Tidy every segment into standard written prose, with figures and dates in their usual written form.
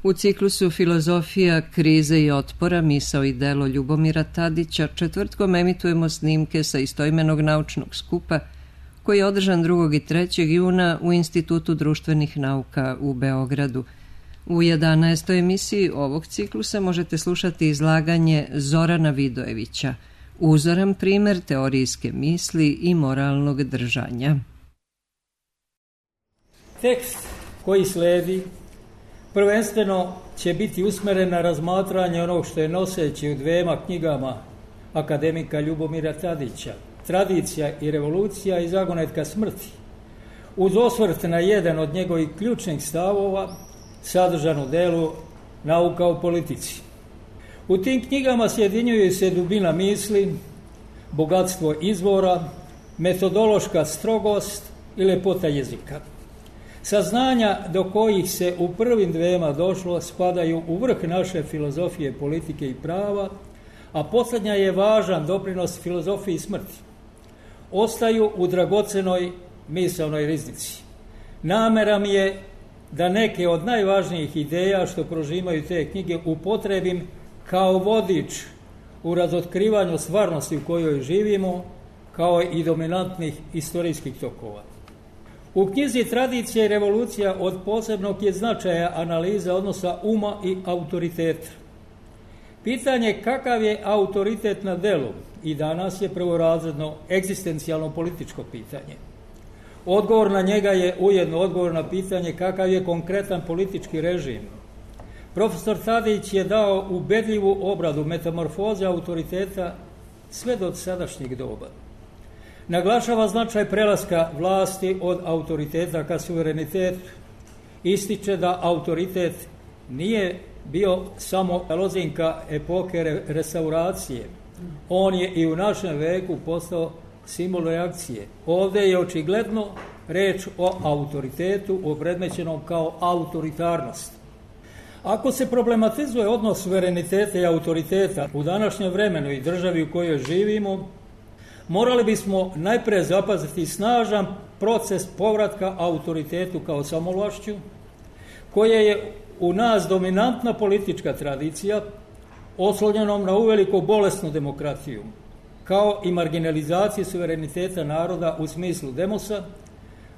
U ciklusu Filozofija, krize i otpora, misao i delo Ljubomira Tadića četvrtkom emitujemo snimke sa istoimenog naučnog skupa koji je održan 2. i 3. juna u Institutu društvenih nauka u Beogradu. U 11. emisiji ovog ciklusa možete slušati izlaganje Zorana Vidojevića, uzoran primer teorijske misli i moralnog držanja. Tekst koji sledi prvenstveno će biti usmeren na razmatranje onog što je noseći u dvema knjigama akademika Ljubomira Tadića, Tradicija i revolucija i zagonetka smrti, uz osvrt na jedan od njegovih ključnih stavova sadržan u delu Nauka o politici. U tim knjigama sjedinjuju se dubina misli, bogatstvo izvora, metodološka strogost i lepota jezika. Saznanja do kojih se u prvim dvema došlo spadaju u vrh naše filozofije politike i prava, a posljednja je važan doprinos filozofiji smrti. Ostaju u dragocenoj misaonoj riznici. Namera mi je da neke od najvažnijih ideja što prožimaju te knjige upotrebim kao vodič u razotkrivanju stvarnosti u kojoj živimo, kao i dominantnih istorijskih tokova. U knjizi Tradicija i revolucija od posebnog je značaja analiza odnosa uma i autoriteta. Pitanje kakav je autoritet na delu i danas je prvorazredno egzistencijalno političko pitanje. Odgovor na njega je ujedno odgovor na pitanje kakav je konkretan politički režim. Profesor Tadić je dao ubedljivu obradu metamorfoze autoriteta sve do sadašnjeg doba. Naglašava značaj prelaska vlasti od autoriteta ka suverenitetu. Ističe da autoritet nije bio samo lozinka epoke restauracije. On je i u našem veku postao simbol reakcije. Ovdje je očigledno reč o autoritetu opredmećenom kao autoritarnost. Ako se problematizuje odnos suvereniteta i autoriteta u današnjem vremenu i državi u kojoj živimo, morali bismo najprije zapaziti snažan proces povratka autoritetu kao samovlašću, koje je u nas dominantna politička tradicija, oslonjenom na uveliko bolesnu demokratiju, kao i marginalizacije suvereniteta naroda u smislu demosa,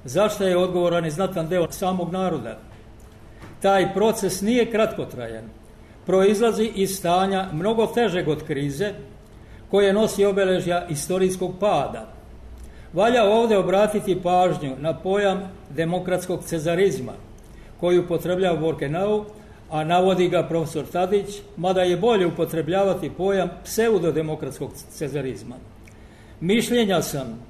zašto je odgovoran i znatan deo samog naroda. Taj proces nije kratkotrajan, proizlazi iz stanja mnogo težeg od krize, koje nosi obeležja istorijskog pada. Valja ovdje obratiti pažnju na pojam demokratskog cezarizma, koji upotrebljava Borkenau, a navodi ga profesor Tadić, mada je bolje upotrebljavati pojam pseudodemokratskog cezarizma. Mišljenja sam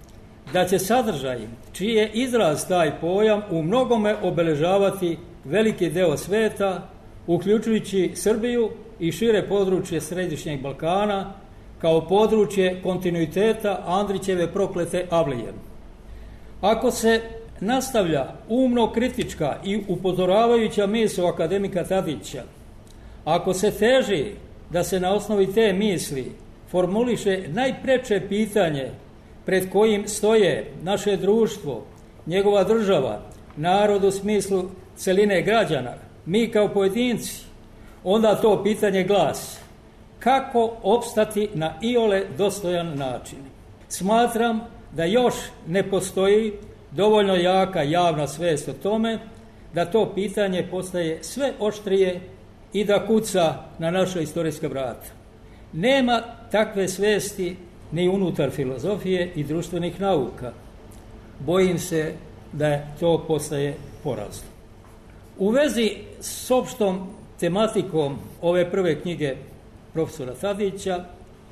da će sadržaj, čiji je izraz taj pojam, u mnogome obeležavati veliki deo sveta, uključujući Srbiju i šire područje Središnjeg Balkana, kao područje kontinuiteta Andrićeve proklete Avlije. Ako se nastavlja umno kritička i upozoravajuća misao akademika Tadića, ako se teži da se na osnovi te misli formuliše najpreče pitanje pred kojim stoje naše društvo, njegova država, narod u smislu celine građana, mi kao pojedinci, onda to pitanje glasi: kako opstati na iole dostojan način? Smatram da još ne postoji dovoljno jaka javna svest o tome da to pitanje postaje sve oštrije i da kuca na naša istorijska vrata. Nema takve svesti ni unutar filozofije i društvenih nauka. Bojim se da to postaje porazno. U vezi s opštom tematikom ove prve knjige profesora Tadića,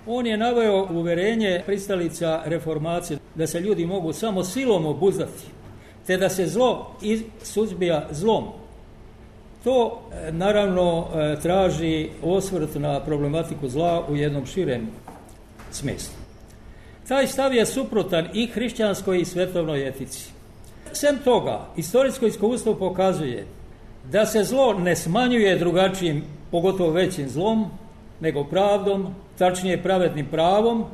on je naveo uverenje pristalica reformacije da se ljudi mogu samo silom obuzdati, te da se zlo suzbija zlom. To naravno traži osvrt na problematiku zla u jednom širem smislu. Taj stav je suprotan i hrišćanskoj i svetovnoj etici. Sem toga, istorijsko iskustvo pokazuje da se zlo ne smanjuje drugačijim, pogotovo većim zlom, nego pravdom, tačnije pravednim pravom,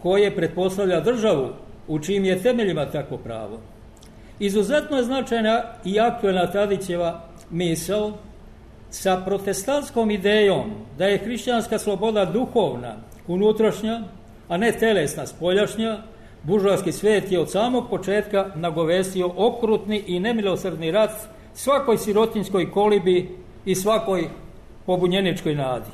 koje pretpostavlja državu u čijim je temeljima takvo pravo. Izuzetno je značajna i aktuelna Tadićeva misao sa protestantskom idejom da je hrišćanska sloboda duhovna, unutrašnja, a ne telesna, spoljašnja, buržoaski svet je od samog početka nagovestio okrutni i nemilosrdni rat svakoj sirotinjskoj kolibi i svakoj pobunjeničkoj nadi.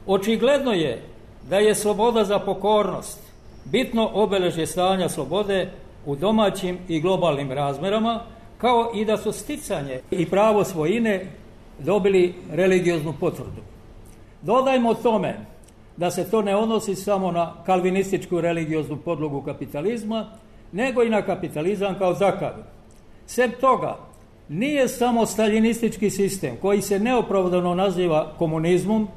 Očigledno je da je sloboda za pokornost bitno obeležje stanja slobode u domaćim i globalnim razmerama, kao i da su sticanje i pravo svojine dobili religioznu potvrdu. Dodajmo tome da se to ne odnosi samo na kalvinističku religioznu podlogu kapitalizma, nego i na kapitalizam kao takav. Sem toga, nije samo staljinistički sistem koji se neopravdano naziva komunizmom,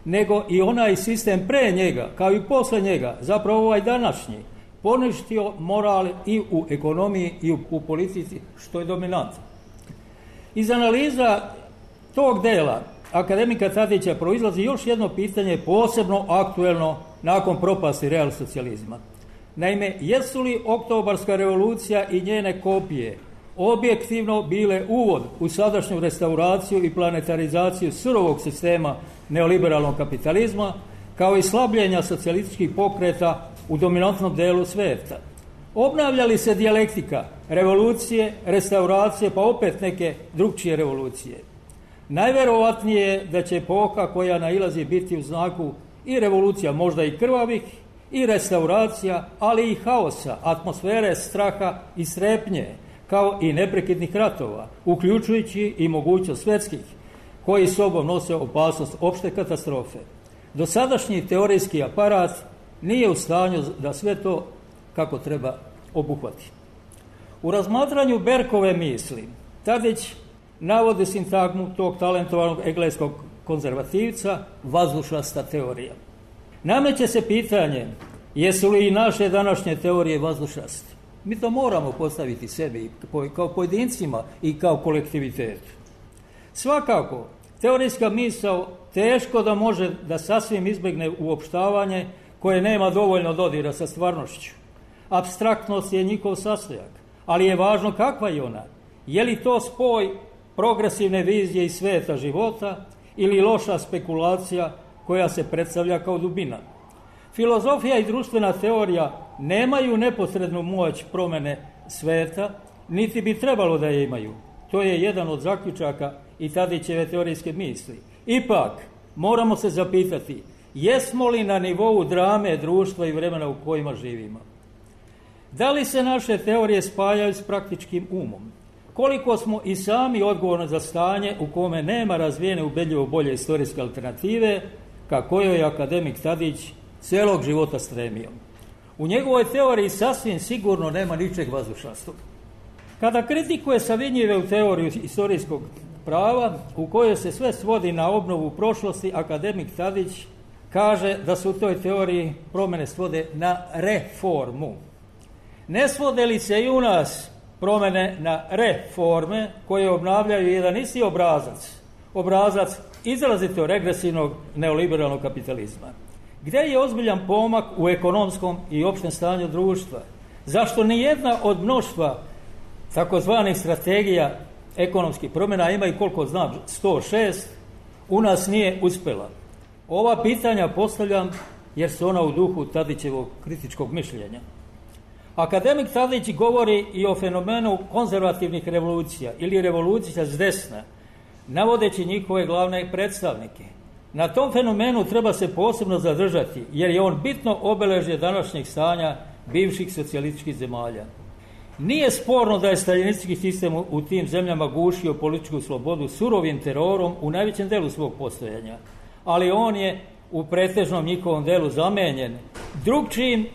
nego i onaj sistem pre njega, kao i posle njega, zapravo ovaj današnji, poništio moral i u ekonomiji i u politici, što je dominantno. Iz analiza tog dela akademika Tadića proizlazi još jedno pitanje posebno aktuelno nakon propasti realsocijalizma. Naime, jesu li oktobarska revolucija i njene kopije objektivno bile uvod u sadašnju restauraciju i planetarizaciju surovog sistema neoliberalnog kapitalizma, kao i slabljenja socijalističkih pokreta u dominantnom delu sveta? Obnavlja li se dijalektika revolucije, restauracije, pa opet neke drugčije revolucije? Najverovatnije je da će epoha koja nailazi biti u znaku i revolucija, možda i krvavih, i restauracija, ali i haosa, atmosfere straha i strepnje, kao i neprekidnih ratova, uključujući i mogućnost svjetskih, koji sobom nose opasnost opšte katastrofe. Dosadašnji teorijski aparat nije u stanju da sve to kako treba obuhvati. U razmatranju Berkove misli Tadić navodi sintagmu tog talentovanog engleskog konzervativca vazdušasta teorija. Nameće se pitanje, jesu li i naše današnje teorije vazdušaste? Mi to moramo postaviti sebi kao pojedincima i kao kolektivitetu. Svakako, teorijska misao teško da može da sasvim izbjegne uopštavanje koje nema dovoljno dodira sa stvarnošću. Apstraktnost je njihov sastojak, ali je važno kakva je ona. Je li to spoj progresivne vizije iz sveta života ili loša spekulacija koja se predstavlja kao dubina? Filozofija i društvena teorija nemaju neposrednu moć promene sveta, niti bi trebalo da je imaju. To je jedan od zaključaka i Tadićeve teorijske misli. Ipak, moramo se zapitati, jesmo li na nivou drame društva i vremena u kojima živimo? Da li se naše teorije spajaju s praktičkim umom? Koliko smo i sami odgovorni za stanje u kome nema razvijene ubedljivo bolje istorijske alternative, ka kojoj je akademik Tadić celog života stremio? U njegovoj teoriji sasvim sigurno nema ničeg vazdušastog. Kada kritikuje Savinjive u teoriju istorijskog prava, u kojoj se sve svodi na obnovu prošlosti, akademik Tadić kaže da se u toj teoriji promjene svode na reformu. Ne svode li se i u nas promjene na reforme koje obnavljaju jedan isti obrazac izrazito regresivnog neoliberalnog kapitalizma? Gdje je ozbiljan pomak u ekonomskom i opštem stanju društva? Zašto nijedna od mnoštva takozvanih strategija ekonomskih promjena, ima i koliko znam 106, u nas nije uspjela? Ova pitanja postavljam jer su ona u duhu Tadićevog kritičkog mišljenja. Akademik Tadić govori i o fenomenu konzervativnih revolucija ili revolucija s desna, navodeći njihove glavne predstavnike. Na tom fenomenu treba se posebno zadržati, jer je on bitno obeležje današnjeg stanja bivših socijalističkih zemalja. Nije sporno da je staljinistički sistem u tim zemljama gušio političku slobodu surovim terorom u najvećem delu svog postojanja, ali on je u pretežnom njihovom delu zamenjen drugčijim,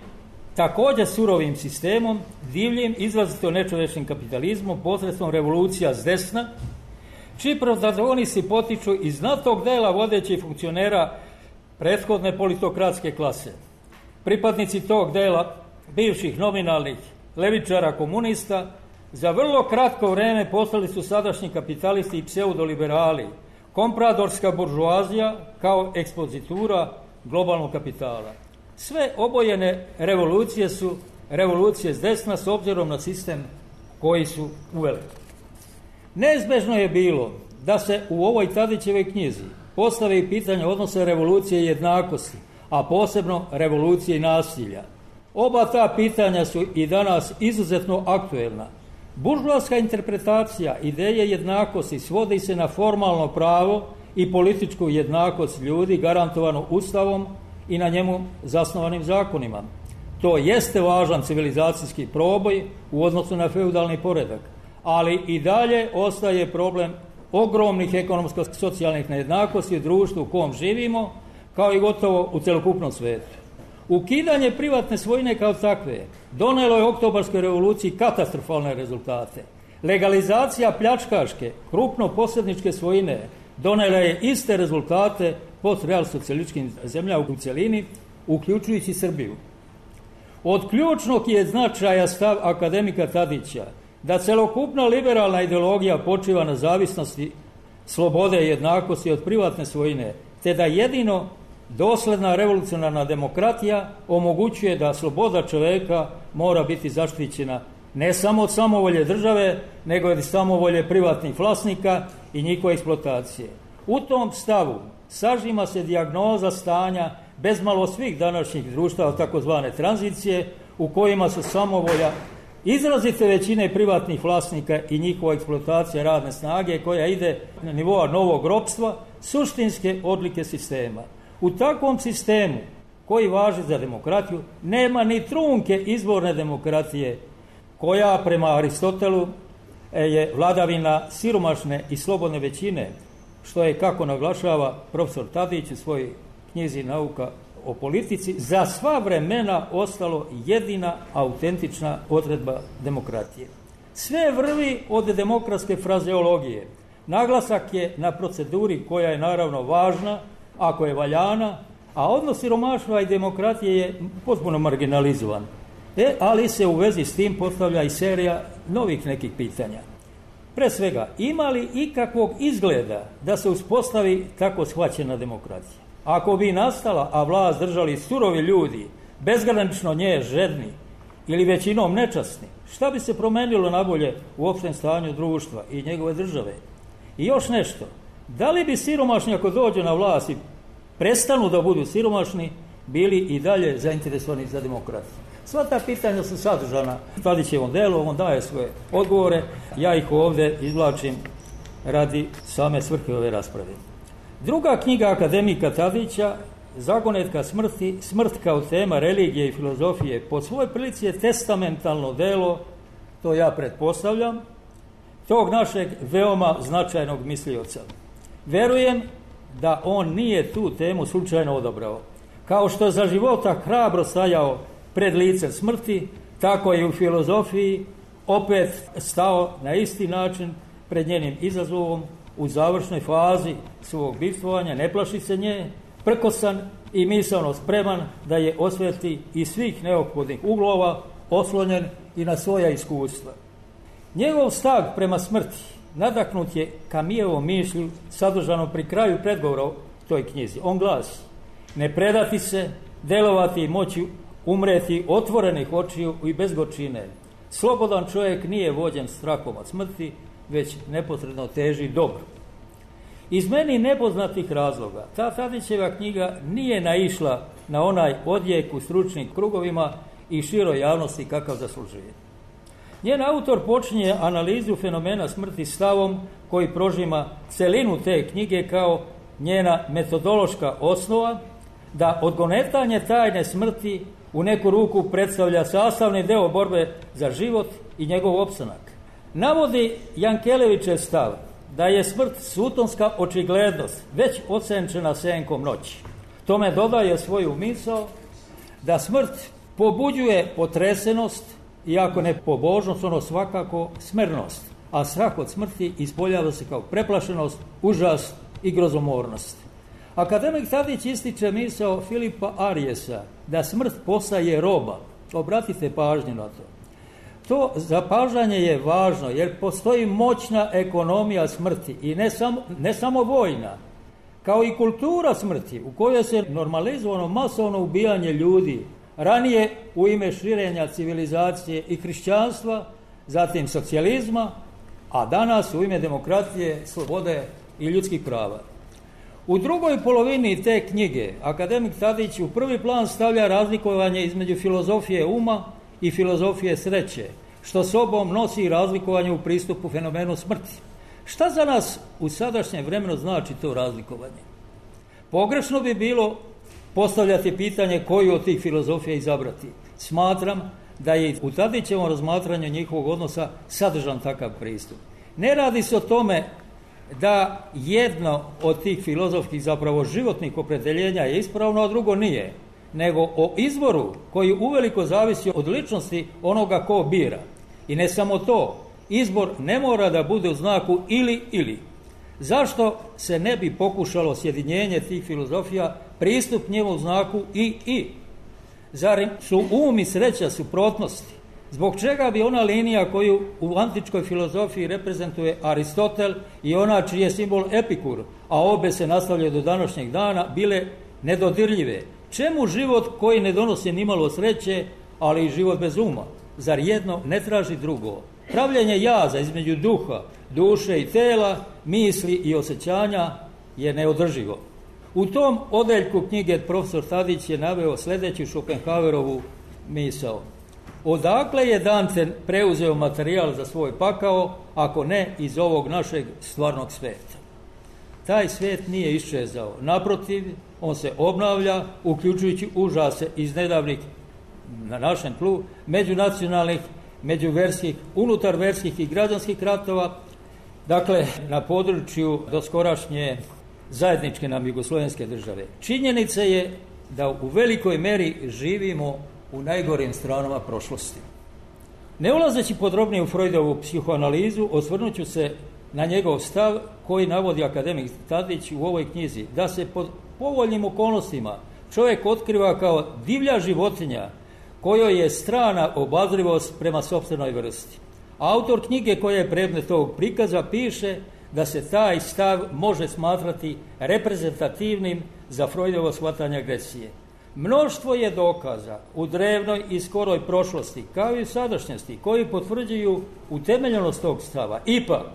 također surovim sistemom, divljim, izrazito nečovečnim kapitalizmom posredstvom revolucija s desna, čiji protagonisti potiču iz znatnog dela vodećih funkcionera prethodne politokratske klase. Pripadnici tog dela bivših nominalnih levičara komunista za vrlo kratko vreme postali su sadašnji kapitalisti i pseudoliberali, kompradorska buržoazija kao ekspozitura globalnog kapitala. Sve obojene revolucije su revolucije s desna s obzirom na sistem koji su uveli. Neizbežno je bilo da se u ovoj Tadićevoj knjizi postavi pitanje odnosa revolucije i jednakosti, a posebno revolucije i nasilja. Oba ta pitanja su i danas izuzetno aktuelna. Buržoaska interpretacija ideje jednakosti svodi se na formalno pravo i političku jednakost ljudi garantovanu Ustavom i na njemu zasnovanim zakonima. To jeste važan civilizacijski proboj u odnosu na feudalni poredak, ali i dalje ostaje problem ogromnih ekonomsko-socijalnih nejednakosti u društvu u kom živimo, kao i gotovo u celokupnom svetu. Ukidanje privatne svojine kao takve donelo je oktobarskoj revoluciji katastrofalne rezultate. Legalizacija pljačkaške, krupno-posredničke svojine donela je iste rezultate postrealsocijalističkim zemljama u cjelini, uključujući Srbiju. Od ključnog je značaja stav akademika Tadića da celokupna liberalna ideologija počiva na zavisnosti slobode i jednakosti od privatne svojine, te da jedino dosledna revolucionarna demokratija omogućuje da sloboda čoveka mora biti zaštićena ne samo od samovolje države, nego i od samovolje privatnih vlasnika i njihove eksploatacije. U tom stavu sažima se dijagnoza stanja bezmalo svih današnjih društava takozvane tranzicije, u kojima su samovolja izrazite većine privatnih vlasnika i njihova eksploatacija radne snage koja ide na nivoa novog ropstva, suštinske odlike sistema. U takvom sistemu koji važi za demokratiju nema ni trunke izborne demokratije, koja prema Aristotelu je vladavina siromašne i slobodne većine, što je, kako naglašava profesor Tadić u svojoj knjizi Nauka o politici, za sva vremena ostalo jedina autentična odredba demokratije. Sve vrvi od demokratske frazeologije. Naglasak je na proceduri koja je naravno važna, ako je valjana, a odnos siromaštva i demokratije je potpuno marginalizovan. Ali se u vezi s tim postavlja i serija novih nekih pitanja. Pre svega, ima li ikakvog izgleda da se uspostavi tako shvaćena demokratija? Ako bi nastala, a vlast držali surovi ljudi, bezgranično nje žedni ili većinom nečasni, šta bi se promenilo nabolje u opštem stanju društva i njegove države? I još nešto, da li bi siromašni, ako dođu na vlast i prestanu da budu siromašni, bili i dalje zainteresovani za demokratiju? Sva ta pitanja su sadržana u Tadićevom delu, on daje svoje odgovore, ja ih ovdje izvlačim radi same svrhe ove rasprave. Druga knjiga akademika Tadića, Zagonetka smrti, smrt kao tema religije i filozofije, po svojoj prilici je testamentalno delo, to ja pretpostavljam, tog našeg veoma značajnog mislioca. Verujem da on nije tu temu slučajno odabrao. Kao što za života hrabro stajao pred licem smrti, tako je u filozofiji opet stao na isti način pred njenim izazovom u završnoj fazi svog bivstvovanja, ne plaši se nje, prkosan i misaono spreman da je osveti iz svih neophodnih uglova, oslonjen i na svoja iskustva. Njegov stav prema smrti nadaknut je Kamijevom mišlju sadržanom pri kraju predgovora o toj knjizi. On glasi: ne predati se, delovati i moći umreti otvorenih očiju i bez gorčine. Slobodan čovjek nije vođen strahom od smrti, već neposredno teži dobro. Iz meni nepoznatih razloga ta Tadićeva knjiga nije naišla na onaj odjek u stručnim krugovima i široj javnosti kakav zaslužuje. Njen autor počinje analizu fenomena smrti stavom koji prožima celinu te knjige kao njena metodološka osnova, da odgonetanje tajne smrti u neku ruku predstavlja sastavni deo borbe za život i njegov opstanak. Navodi Jankelevićev stav da je smrt sutonska očiglednost već osenčena senkom noći. Tome dodaje svoju misao da smrt pobuđuje potresenost, iako ne pobožnost, ono svakako smernost, a strah od smrti ispoljava se kao preplašenost, užas i grozomornost. Akademik Tadić ističe misao Filipa Ariesa da smrt postaje roba. Obratite pažnju na to. To zapažanje je važno jer postoji moćna ekonomija smrti i ne samo vojna, kao i kultura smrti u kojoj se normalizovano masovno ubijanje ljudi, ranije u ime širenja civilizacije i hrišćanstva, zatim socijalizma a danas u ime demokratije, slobode i ljudskih prava. U drugoj polovini te knjige akademik Tadić u prvi plan stavlja razlikovanje između filozofije uma i filozofije sreće, što sobom nosi razlikovanje u pristupu fenomenu smrti. Šta za nas u sadašnjem vremenu znači to razlikovanje? Pogrešno bi bilo postavljati pitanje koju od tih filozofija izabrati. Smatram da je u Tadićevom razmatranju njihovog odnosa sadržan takav pristup. Ne radi se o tome da jedno od tih filozofskih, zapravo životnih opredjeljenja je ispravno, a drugo nije, nego o izboru koji uveliko zavisi od ličnosti onoga ko bira. I ne samo to, izbor ne mora da bude u znaku ili. Zašto se ne bi pokušalo sjedinjenje tih filozofija, pristup njemu u znaku i? Zar su um i sreća suprotnosti? Zbog čega bi ona linija koju u antičkoj filozofiji reprezentuje Aristotel i ona čiji je simbol Epikur, a obe se nastavljaju do današnjeg dana, bile nedodirljive? Čemu život koji ne donosi nimalo sreće, ali i život bez uma? Zar jedno ne traži drugo? Pravljenje jaza između duha, duše i tela, misli i osjećanja je neodrživo. U tom odeljku knjige profesor Tadić je naveo sljedeću Schopenhauerovu misao. Odakle je Dante preuzeo materijal za svoj pakao, ako ne iz ovog našeg stvarnog svijeta? Taj svijet nije iščezao. Naprotiv, on se obnavlja, uključujući užase iz nedavnih, na našem tlu, međunacionalnih, međuverskih, unutarverskih i građanskih ratova, dakle, na području doskorašnje zajedničke nam jugoslovenske države. Činjenica je da u velikoj meri živimo u najgorim stranama prošlosti. Ne ulazeći podrobnije u Freudovu psihoanalizu, osvrnut ću se na njegov stav koji navodi akademik Tadić u ovoj knjizi, da se pod povoljnim okolnostima čovjek otkriva kao divlja životinja kojoj je strana obazrivost prema sopstvenoj vrsti. Autor knjige koja je predmet ovog prikaza piše da se taj stav može smatrati reprezentativnim za Freudovo shvatanje agresije. Mnoštvo je dokaza u drevnoj i skoroj prošlosti, kao i u sadašnjosti, koji potvrđuju utemeljenost tog stava. Ipak,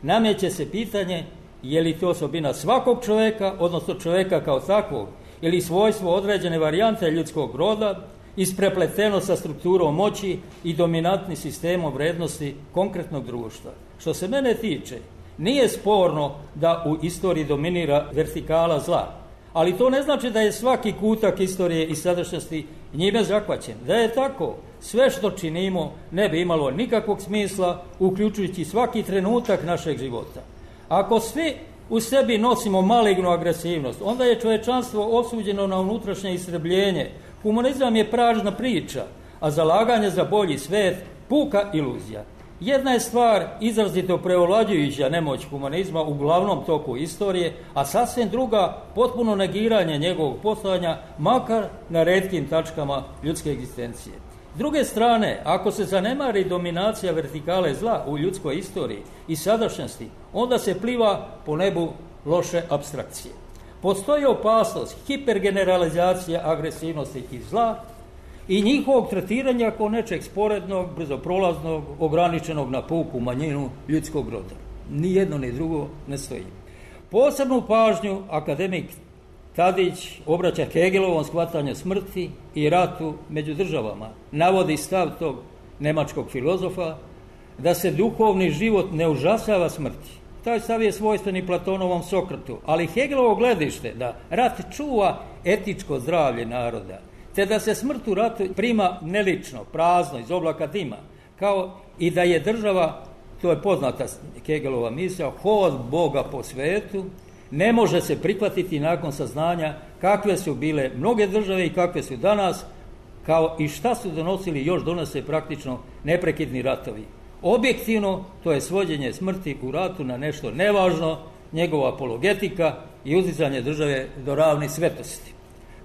nameće se pitanje je li to osobina svakog čovjeka, odnosno čovjeka kao takvog, ili svojstvo određene varijante ljudskog roda, isprepleteno sa strukturom moći i dominantnim sistemom vrednosti konkretnog društva. Što se mene tiče, nije sporno da u istoriji dominira vertikala zla, ali to ne znači da je svaki kutak istorije i sadašnjosti njime zahvaćen. Da je tako, sve što činimo ne bi imalo nikakvog smisla, uključujući svaki trenutak našeg života. Ako svi u sebi nosimo malignu agresivnost, onda je čovječanstvo osuđeno na unutrašnje istrebljenje. Humanizam je prazna priča, a zalaganje za bolji svijet puka iluzija. Jedna je stvar izrazito preovlađujuća nemoć humanizma u glavnom toku istorije, a sasvim druga potpuno negiranje njegovog postojanja, makar na retkim tačkama ljudske egzistencije. S druge strane, ako se zanemari dominacija vertikale zla u ljudskoj istoriji i sadašnjosti, onda se pliva po nebu loše apstrakcije. Postoji opasnost hipergeneralizacije agresivnosti i zla i njihovog tretiranja kao nečeg sporednog, brzoprolaznog, ograničenog na puku manjinu ljudskog roda. Ni jedno ni drugo ne stoji. Posebnu pažnju akademik Tadić obraća Hegelovom shvatanju smrti i ratu među državama. Navodi stav tog nemačkog filozofa da se duhovni život ne užasava smrti. Taj stav je svojstven i Platonovom Sokratu, ali Hegelovo gledište da rat čuva etičko zdravlje naroda, te da se smrt u ratu prima nelično, prazno, iz oblaka dima, kao i da je država, to je poznata Hegelova misao, hod Boga po svetu, ne može se prihvatiti nakon saznanja kakve su bile mnoge države i kakve su danas, kao i šta su donosili i još donose praktično neprekidni ratovi. Objektivno, to je svođenje smrti u ratu na nešto nevažno, njegova apologetika i uzdizanje države do ravni svetosti.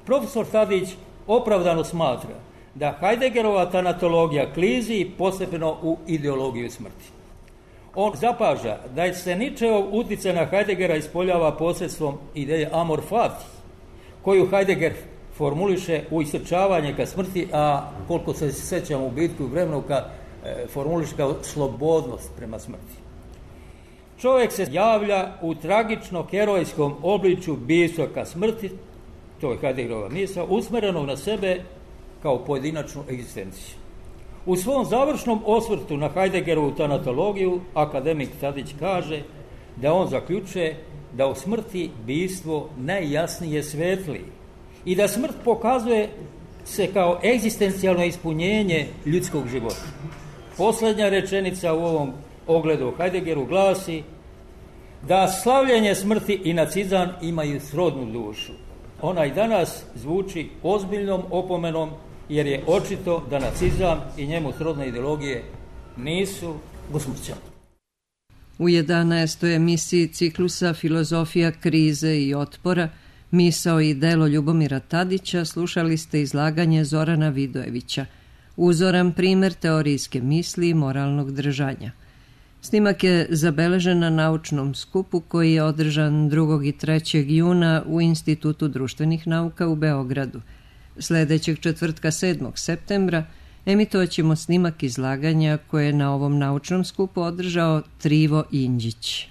Profesor Tadić opravdano smatra da Heideggerova tanatologija klizi postepeno u ideologiju smrti. On zapaža da se Nietzscheov utjecaj na Heideggera ispoljava posredstvom ideje amor fati, koju Heidegger formuliše u istrčavanje ka smrti, a koliko se sjećamo u bitku i vremenu formuliše kao slobodnost prema smrti. čovjek se javlja u tragično herojskom obličju bistva ka smrti, to je Heideggerova misao, usmjerenog na sebe kao pojedinačnu egzistenciju. U svom završnom osvrtu na Heideggerovu tanatologiju akademik Tadić kaže da on zaključuje da u smrti bistvo najjasnije svetli i da smrt pokazuje se kao egzistencijalno ispunjenje ljudskog života. Posljednja rečenica u ovom ogledu Heideggeru glasi da slavljenje smrti i nacizam imaju srodnu dušu. Ona i danas zvuči ozbiljnom opomenom jer je očito da nacizam i njemu srodne ideologije nisu usmrćeni. U 11. emisiji ciklusa Filozofija krize i otpora, misao i delo Ljubomira Tadića slušali ste izlaganje Zorana Vidojevića, uzoran primjer teorijske misli i moralnog držanja. Snimak je zabeležen na naučnom skupu koji je održan 2. i 3. juna u Institutu društvenih nauka u Beogradu. Sljedećeg četvrtka 7. septembra emitovat ćemo snimak izlaganja koje je na ovom naučnom skupu održao Trivo Inđić.